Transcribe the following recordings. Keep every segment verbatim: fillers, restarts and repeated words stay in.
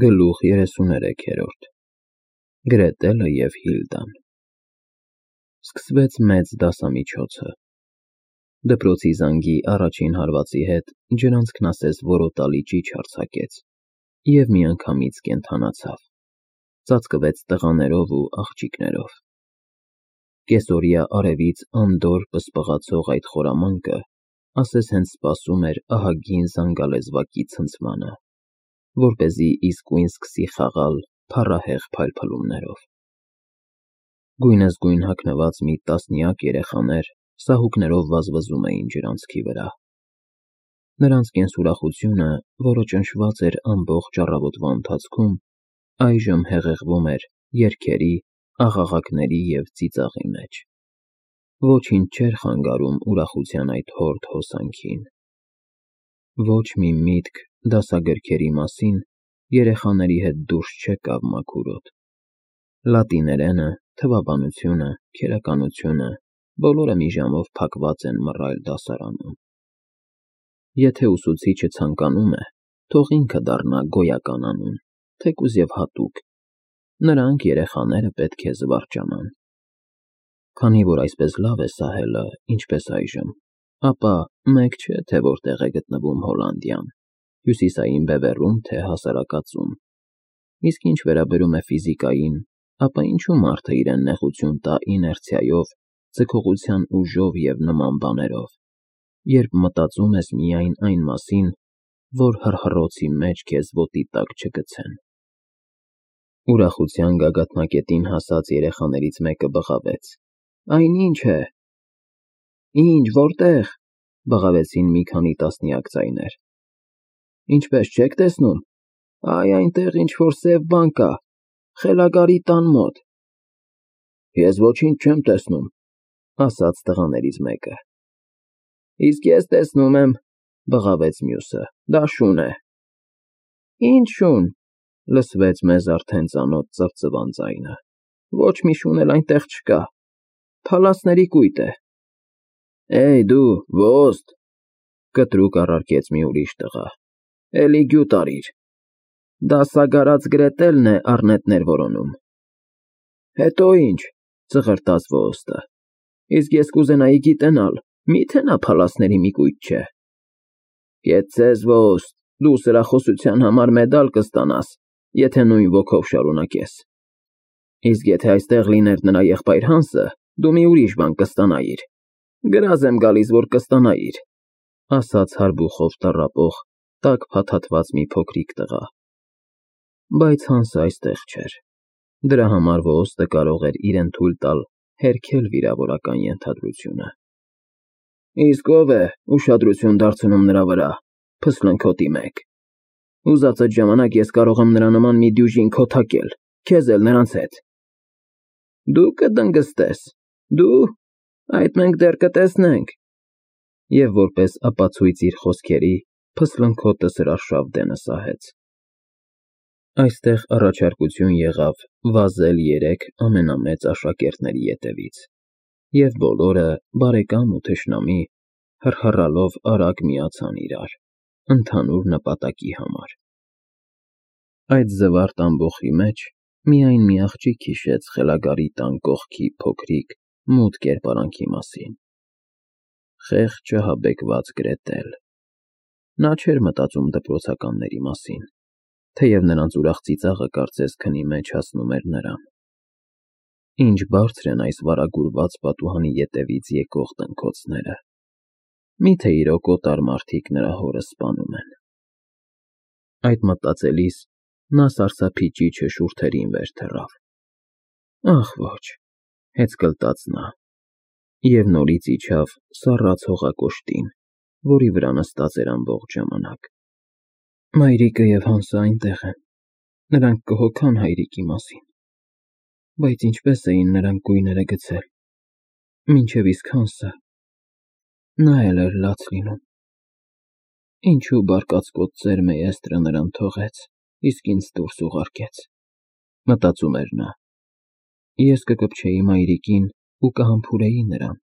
Գլուխ երեսուներեքերորդ Գրետելը և Հիլդան Սկսվեց մեծ դասամիջոցը։ Դպրոցի զանգի առաջին հարվածի հետ ջրանցքն ասես որոտալի ճիչ արձակեց և միանգամից կենդանացավ, ծածկվեց տղաներով ու աղջիկներով։ Կեսօրյա արևից անդորր պսպղացող այդ խորամանկը ասես հենց սպասում էր ահագին զանգալեզվակի ցնցմանը, որպեսզի իսկույն սկսի խաղալ փառահեղ փայլփլումներով։ Գույնզգույն հագնված մի տասնյակ երեխաներ սահուկներով վազվզում էին ջրանցքի վրա։ Նրանց կենսուրախությունը, որը ճնշված էր ամբողջ առավոտվա ընթացքում, այժմ հեղեղվում էր երգերի, աղաղակների և ծիծաղի մեջ։ Ոչինչ չէր խանգարում ուրախության այդ հորդ հոսանքին։ Ոչ մի միտք դասագրքերի մասին երեխաների հետ դուրս չեկավ մաքուր օդ։ Լատիներենը, թվաբանությունը, քերականությունը բոլորը մի ժամով փակված են մռայլ դասարանում։ Եթե ուսուցիչը ցանկանում է, թող ինքը դառնա գոյական անուն, թեկուզ և հատուկ, նրանք երեխաները պետք է զվարճանան։ Քանի որ այսպես լավ է սահելը, ինչպես այժմ, ապա մեկ չէ, թե որտեղ է գտնվում Հոլանդիան՝ հյուսիսային բևեռում, թե հասարակածում։ Իսկ ինչ վերաբերում է ֆիզիկային, ապա ինչու մարդը իրեն նեղություն տա իներցիայով, ձգողության ուժով և նման բաներով, երբ մտածում ես միայն այն մասին, որ հռհռոցի մեջ քեզ ոտի տակ չգցեն։ Ուրախության գագաթնակետին հասած երեխաներից մեկը բղավեց. Այն ի՞նչ է։ Ի՞նչ, որտե՞ղ, բղավեցին մի քանի տասնյակ ձայներ։ Ինչպես չեք տեսնում։ Այ այնտեղ ինչ-որ սև բան կա, խելագարի տան մոտ։ Ես ոչինչ չեմ տեսնում, ասաց տղաներից մեկը։ Իսկ ես տեսնում եմ, բղավեց մյուսը, դա շուն է։ Ինչ շուն, լսվեց մեզ արդեն ծանոթ ծվծվան ձայնը։ Ոչ մի շուն էլ այնտեղ չկա, փալասների կույտ է։ Էյ դու, ոստ, կտրուկ առարկեց մի ուրիշ տղա, էլի գյուտ արիր։ Դասագարած Գրետելն է առնետներ որոնում։ Հետո ինչ, ծղրտաց ոստը, իսկ ես կուզենայի գիտենալ, մի՞թե նա փալասների մի կույտ չէ։ Կեցցես, ոստ, դու սրախոսության համար մեդալ կստանաս, եթե նույն ոգով շարունակես։ Իսկ եթե այստեղ լիներ նրա եղբայր Հանսը, դու մի ուրիշ բան կստանայիր։ Գրազ եմ գալիս, որ կստանայիր, ասաց հարբուխով տառապող, տաք փաթաթված մի փոքրիկ տղա։ Բայց Հանսը այստեղ չէր։ Դրա համար ոստը կարող էր իրեն թույլ տալ հերքել վիրավորական ենթադրությունը։ Իսկ ով է ուշադրություն դարձնում նրա վրա, փսլնքոտի մեկ։ Ուզածդ ժամանակ ես կարող եմ նրա նման մի դյուժին քոթակել, քեզ էլ նրանց հետ։ Դու կդնգստես, դու, այդ մենք դեռ կտեսնենք։ Եվ որպես ապացույց իր խոսքերի, փսլնքոտը սրարշավ դենը սահեց։ Այստեղ առաջարկություն եղավ վազել երեք ամենամեծ աշակերտների ետևից, և բոլորը, բարեկամ ու թշնամի, հռհռալով արագ միացան իրար, ընդհանուր նպատակի համար։ Այդ զվարթ ամբոխի մեջ միայն մի աղջիկ հիշեց խելագարի տան կողքի փոքրիկ, մութ կերպարանքի մասին։ Խեղճ ահաբեկված Գրետել։ Նա չէր մտածում դպրոցականների մասին, թեև նրանց ուրախ ծիծաղը կարծես քնի մեջ հասնում էր նրան։ Ինչ բարձր են այս վարագուրված պատուհանի ետևից եկող տնքոցները։ Մի՞թե իրոք օտար մարդիկ նրա հորը սպանում են։ Այդ մտածելիս նա սարսափի ճիչը շուրթերին վեր թռավ։ Ախ ոչ, հեծկլտաց նա, և նորից իջավ սառած հողակոշտին, որի վրա նստած էր ամբողջ ժամանակ։ Մայրիկը և Հանսը այնտեղ են, նրանք կհոգան հայրիկի մասին։ Բայց ինչպես էին նրանք գույները գցել, մինչև իսկ Հանսը, նա էլ էր լաց լինում։ Ինչու բարկացկոտ ծեր Մեյեստրը նրան թողեց, իսկ ինձ դուրս ուղարկեց, մտածում էր նա։ Ես կկպչեի մայրիկին ու կհամբուրեի նրան։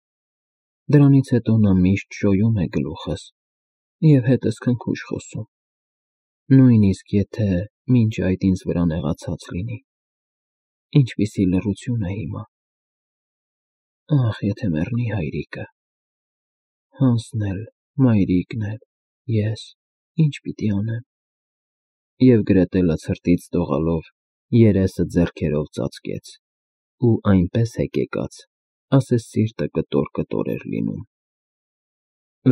Դրանից հետո նա միշտ շոյում է գլուխս և հետս քնքուշ խոսում։ Նույնիսկ եթե մինչ այդ ինձ վրա նեղացած լինի։ Ինչպիսի լռություն է հիմա։ Ախ, եթե մեռնի հայրիկը։ Հանսն էլ, մայրիկն էլ, ես, ինչ պիտի անեմ։ Եվ Գրետելը ցրտից դողալով երեսը ձեռքերով ծածկեց, ու այնպես հեկեկաց, ասես սիրտը կտոր-կտոր էր լինում։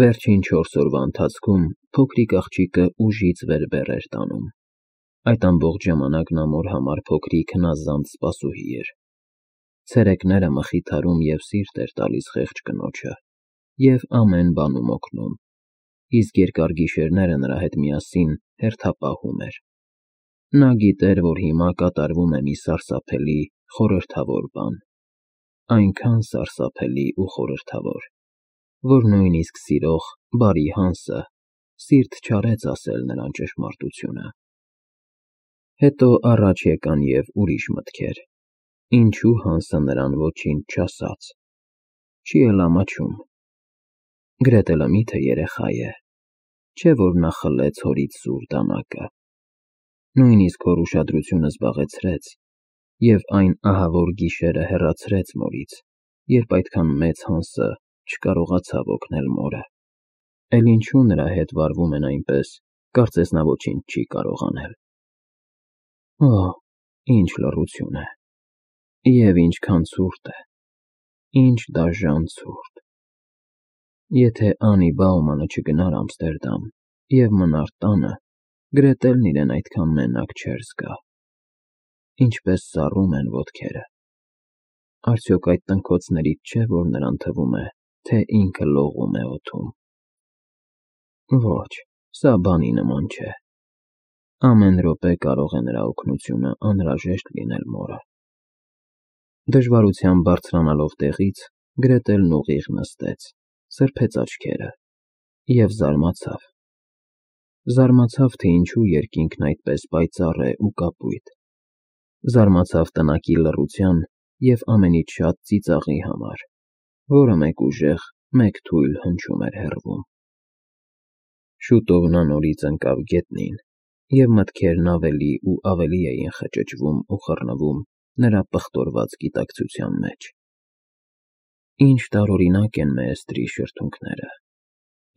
Վերջին չորս օրվա ընթացքում փոքրիկ աղջիկը ուժից վեր-վեր էր տանում։ Այդ ամբողջ ժամանակ նա մոր համար փոքրիկ հնազանդ սպասուհի էր։ Ցերեկները մխիթարում և սիրտ էր տալիս խեղճ կնոջը և ամեն բանում օգնում, իսկ երկար գիշերները նրա հետ միասին հերթապահում էր։ Նա գիտեր, որ հիմա կատարվում է մի սարսափելի, խորհրդավոր բան, այնքան սարսափելի ու խորհրդավոր, որ նույնիսկ սիրող, բարի Հանսը սիրտ չարեց ասել նրան ճշմարտությունը։ Հետո առաջ եկան և ուրիշ մտքեր, ինչու Հանսը նրան ոչինչ չասաց, չի էլ ամաչում։ Գրետելը մի՞թե երեխա է, չէ՞ որ նա խլեց հորից սուր դանակը։ Նույնիսկ հոր ուշադրությունը զբաղեցրեց, և այն ահավոր գիշերը հեռացրեց մորից, երբ այդքան մեծ Հանսը չկարողացավ օգնել մորը։ Էլ ինչու նրա հետ վարվում են այնպես, կարծես նա ոչինչ չի կարող անել։ Օ, ինչ լռություն է, և ինչքան ցուրտ է, ինչ դաժան ցուրտ։ Եթե Անի Բաումանը չգնար Ամստերդամ և մնար տանը, Գրետելն իրեն այդքան մենակ չէր զգա։ Ինչպես սառում են ոտքերը։ Արդյոք այդ տնքոցներից չէ, որ նրան թվում է, թե ինքը լողում է օդում։ Ոչ, սա բանի նման չէ։ Ամեն րոպե կարող է նրա օգնությունը անհրաժեշտ լինել մորը։ Դժվարությամբ բարձրանալով տեղից, Գրետելն ուղիղ նստեց, սրբեց աչքերը և զարմացավ։ Զարմացավ, թե ինչու երկինքն այդպես պայծառ է ու կապույտ։ Զարմացավ տնակի լռության և ամենից շատ ծիծաղի համար, որը մեկ ուժեղ, մեկ թույլ հնչում էր հեռվում։ Շուտով նա նորից ընկավ գետնին, և մտքերն ավելի ու ավելի էին խճճվում ու խռնվում նրա պղտորված գիտակցության մեջ։ Ինչ տարօրինակ են Մեեստրի շրթունքները,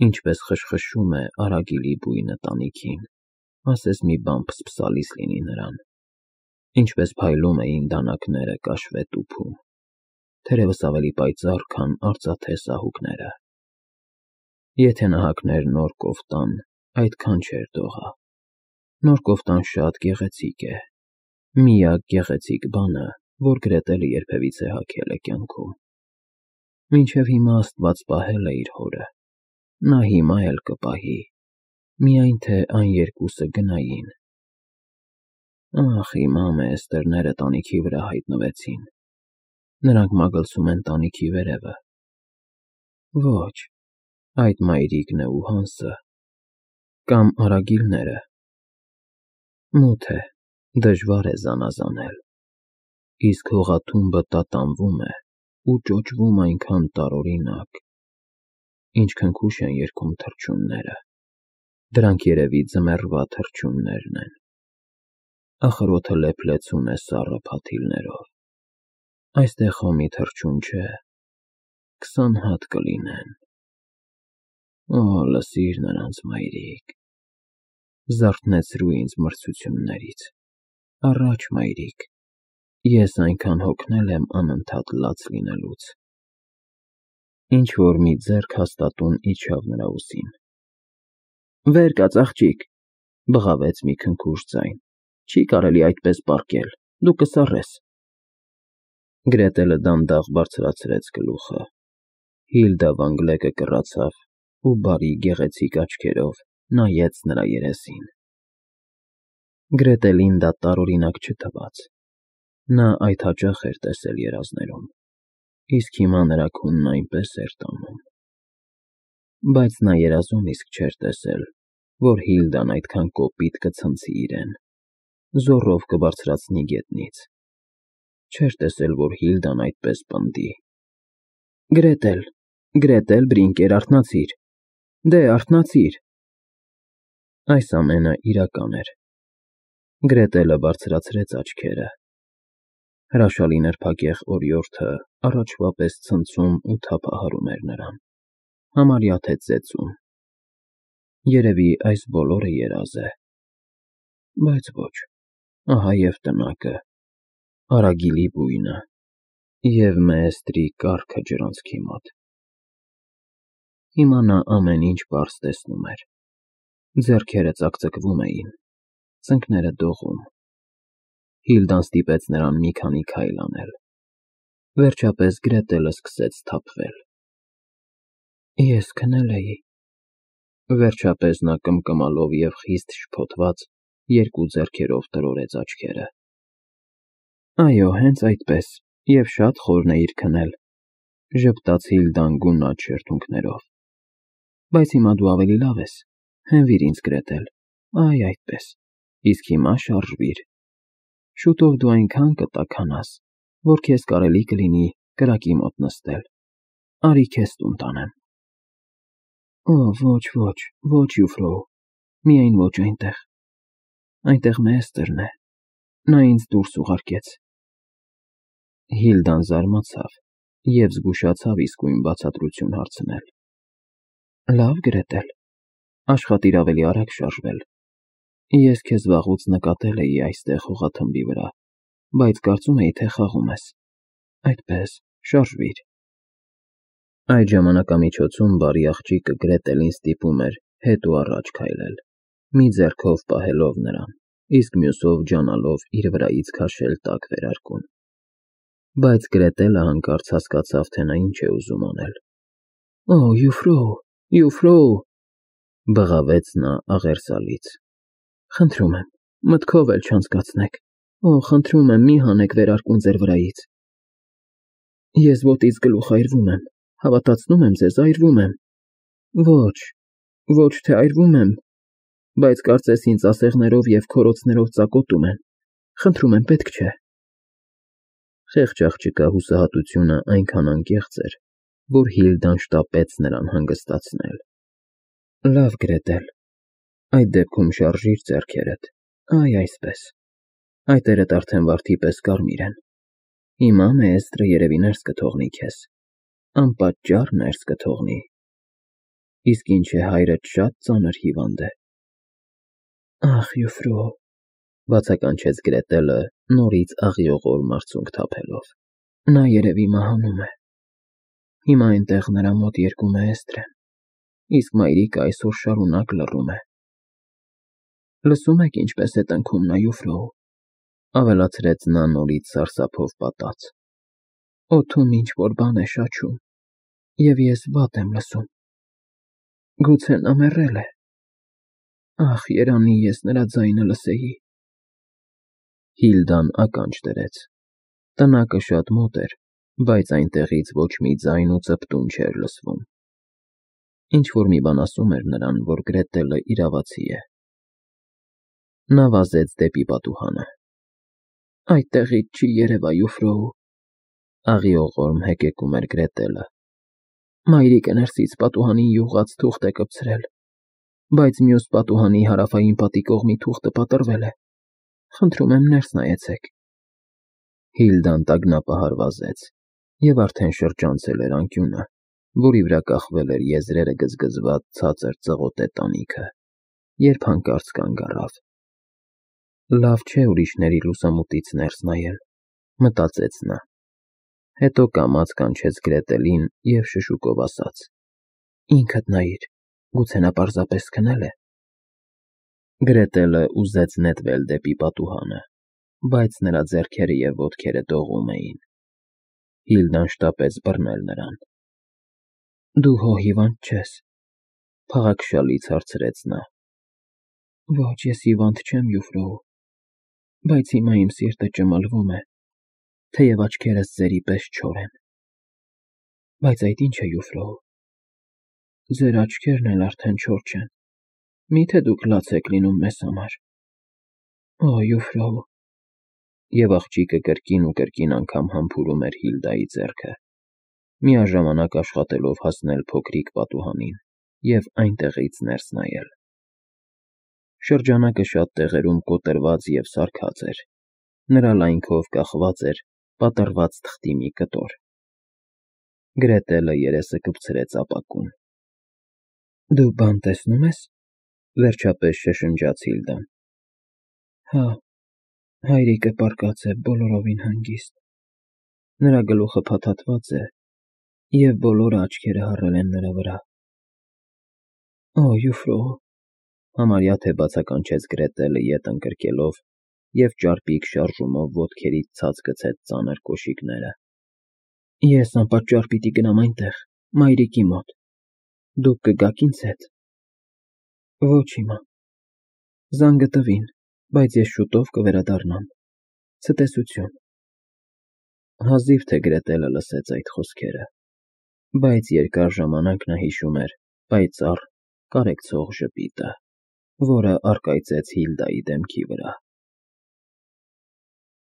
ինչպես խշխշում է արագիլի բույնը տանիքին, ասես մի բան փսփսալիս լինի նրան, ինչպես փայլում էին դանակները կաշվե տուփում, թերևս ավելի պայծառ, քան արծաթե սահուկները։ Եթե նա հագներ նոր կոֆտան, այդքան չէր դողա։ Նոր կոֆտան շատ գեղեցիկ է, միակ գեղեցիկ բանը, որ Գրետելը երբևիցե հագել է կյանքում։ Մինչև հիմա Աստված պահել է իր հորը, նա հիմա էլ կպահի, միայն թե այն երկուսը գնային։ Ախ, հիմա Մեեստերները տանիքի վրա հայտնվեցին, նրանք մագլցում են տանիքի վերևը։ Ոչ, այդ մայրիկն է ու Հանսը, կամ արագիլները։ Մութ է, դժվար է զանազանել, իսկ հողաթումբը տատանվում է ու ճոճվում այնքան տարօրինակ, ինչ քնքուշ են երգում թռչունները, դրանք երևի ձմեռվա թռչուններն են։ Ախր օդը լեփլեցուն է սառը փաթիլներով, այստեղ հոմի թռչուն չէ, քսան հատ կլինեն։ Օ, լսիր նրանց, մայրիկ, զարթնեցրու ինձ մրցություններից, առաջ, մայրիկ, ես այնքան հոգնել եմ անընդհատ լաց լինելուց։ Ինչ-որ մի ձեռք հաստատուն իջավ նրա ուսին։ Վեր կաց, աղջիկ, բղավեց մի քնքուշ ձայն, չի կարելի այդպես պառկել, դու կսառես։ Գրետելը դանդաղ բարձրացրեց գլուխը, Հիլդա Վան Գլեկը կռացավ ու բարի գեղեցիկ աչքերով նայեց նրա երեսին։ Գրետելին դա տարօրինակ չթվաց։ Նա այդ հաճախ էր տեսել երազներում, իսկ հիմա նրա քունն այնպես էր տանում։ Բայց նա երազում իսկ չէր տեսել, որ Հիլդան այդքան կոպիտ կցնցի իրեն, զոռով կբարձրացնի գետնից։ Չէր տեսել, որ Հիլդան այդպես պնդի։ Գրետել, Գրետել Բրինկեր, արթնացիր, դե, արթնացիր։ Այս ամենը իրական էր։ Գրետելը բարձրացրեց աչքերը։ Հրաշալի նրբագեղ օրիորդը առաջվա պես ցնցում ու թափահարում էր նրան, համարյա թե ծեծում։ Երևի այս բոլորը երազ է։ Բայց ոչ, ահա և տնակը, Արագիլի բույնը և Մեեստրի կառքը ջրանցքի մոտ։ Հիմա նա ամեն ինչ պարզ տեսնում էր։ Ձեռքերը ծակծկվում էին, ծնկները դողում։ Հիլդան ստիպեց նրան մի քանի քայլ անել։ Վերջապես Գրետելը սկսեց սթափվել։ Ես քնել էի։ Վերջապես նա կմկմալով և խիստ շփոթված երկու ձեռքերով տրորեց աչքերը։ Այո, հենց այդպես, և շատ խորն էիր քնել, ժպտաց Հիլդան գունատ շրթունքներով։ Բայց հիմա դու ավելի լավ ես, հենվիր ինձ, Գրետել, այ այդպես, իսկ հիմա շարժվիր։ Շուտով դու այնքան կտաքանաս, որ քեզ կարելի կլինի կրակի մոտ նստել։ Արի քեզ տուն տանեմ։ Օ, ոչ, ոչ, ոչ, Յուֆրոու, միայն ոչ այնտեղ։ Այնտեղ Մեեստրն է, նա ինձ դուրս ուղարկեց։ Հիլդան զարմացավ և զգուշացավ իսկույն բացատրություն հարցնել։ Լավ, Գրետել, աշխատիր ավելի արագ շարժվել։ Ես քեզ վաղուց նկատել էի այստեղ հողաթմբի վրա, բայց կարծում էի, թե խաղում ես։ Այդպես, շարժվիր։ Այդ ժամանակամիջոցում բարի աղջիկը Գրետելին ստիպում էր հետ ու առաջ քայլել, մի ձեռքով պահելով նրան, իսկ մյուսով ջանալով իր վրայից քաշել տաք վերարկուն։ Բայց Գրետելը հանկարծ հասկացավ, թե նա ինչ է ուզում անել։ Օ, Յուֆրոու, Յուֆրոու, բղավեց նա աղերսալից։ Խնդրում եմ, մտքով էլ չանցկացնեք։ Օ, խնդրում եմ, մի հանեք վերարկուն ձեր վրայից։ Ես ոտից գլուխ այրվում եմ, հավատացնում եմ ձեզ, այրվում եմ։ Ոչ, ոչ թե այրվում եմ, բայց կարծես ինձ ասեղներով և քորոցներով ծակոտում են։ Խնդրում եմ, պետք չէ։ Խեղճ աղջկա հուսահատությունը այնքան անկեղծ էր, որ Հիլդան շտապեց նրան հանգստացնել։ Լավ, Գրետել, այդ դեպքում շարժիր ձեռքերդ, այ այսպես։ Այտերդ արդեն վարդի պես կարմիր են։ Հիմա Մեեստրը երևի ներս կթողնի քեզ, անպատճառ ներս կթողնի։ Իսկ ինչ է հայրդ շատ ծանր հիվանդ է։ Ախ, Յուֆրոու, բացականչեց Գրետելը նորից աղիողոր մարցունք թափելով։ Նա երևի մահանում է։ Հիմա այնտեղ նրա մոտ երկու Մեեստր են, իսկ մայրիկը այսօր շարունակ լռում է։ Լսում եք ինչպես է տնքում նա, Յուֆրոու, ավելացրեց նա նորից սարսափով պատած։ Օդում ինչ֊որ բան է շաչում, և ես վատ եմ լսում։ Գուցե նա մեռել է։ Ախ, երանի ես նրա ձայնը լսեի։ Հիլդան ականջ դրեց։ Տնակը շատ մոտ էր, բայց այնտեղից ոչ մի ձայն ու ծպտուն չէր լսվում։ Ինչ-որ մի բան ասում էր նրան, որ Գրետելը իրավացի է։ Նա վազեց դեպի պատուհանը։ Այդտեղից չի երևա, Յուֆրոու, աղիողորմ հեկեկում էր Գրետելը։ Մայրիկը ներսից պատուհանին յուղած թուղթ է կպցրել, բայց մյուս պատուհանի հարավային պատի կողմի թուղթը պատռվել է։ Խնդրում եմ, ներս նայեցեք։ Հիլդան տագնապահար վազեց և արդեն շրջանցել էր անկյունը, որի վրա կախվել էր եզրերը գզգզված ցածր ծղոտե տանիքը, երբ հանկարծ կանգ առավ։ Լավ չէ ուրիշների լուսամուտից ներս նայել, մտածեց նա։ Հետո կամաց կանչեց Գրետելին և շշուկով ասաց. Ինքդ նայիր, գուցե նա պարզապես քնել է։ Գրետելը ուզեց նետվել դեպի պատուհանը, բայց նրա ձեռքերը և ոտքերը դողում էին։ Հիլդան շտապեց բռնել նրան։ Դու հո հիվանդ չես, փաղաքշալից հարցրեց նա։ Ոչ, ես հիվանդ չեմ, Յուֆրոու, բայց հիմա իմ սիրտը ճմլվում է, թեև աչքերս ձերի պես չոր են։ Բայց այդ ի՞նչ է, Յուֆրոու։ Ձեր աչքերն էլ արդեն չոր չեն։ Մի՞թե դուք լաց եք լինում մեզ համար։ Օ, Յուֆրոու։ Եվ աղջիկը կրկին ու կրկին անգամ համբուրում էր Հիլդայի ձեռքը, միաժամանակ աշխատելով հասնել փոքրիկ պատուհանին և այնտեղից ներս նայել։ Շրջանակը շատ տեղերում կոտրված և սարքած էր, նրա լայնքով կախված էր պատռված թղթի մի կտոր։ Գրետելը երեսը կպցրեց ապակուն։ ֊ Դու բան տեսնո՞ւմ ես,֊ վերջապես շշնջաց Հիլդան։ ֊ Հա, հայրիկը պառկած է բոլորովին հանգիստ, նրա գլուխը փաթաթված է, և բոլորը աչքերը հառել են նրա վրա։ ֊ Օ, յուֆրո,֊ համարյա թե բացականչեց Գրետելը ետ ընկրկելով և ճարպիկ շարժումով ոտքերից ցած գցեց ծանր կոշիկները։ ֊ Ես անպատճառ պիտի գնամ այնտեղ, մայրիկի մոտ, դուք կգաք ինձ հետ։ ֊ Ոչ հիմա, զանգը տվին, բայց ես շուտով կվերադառնամ։ Ցտեսություն։ Հազիվ թե Գրետելը լսեց այդ խոսքերը, բայց երկար ժամանակ նա հիշում էր պայծառ, կարեկցող ժպիտը, որը առկայծեց Հիլդայի դեմքի վրա։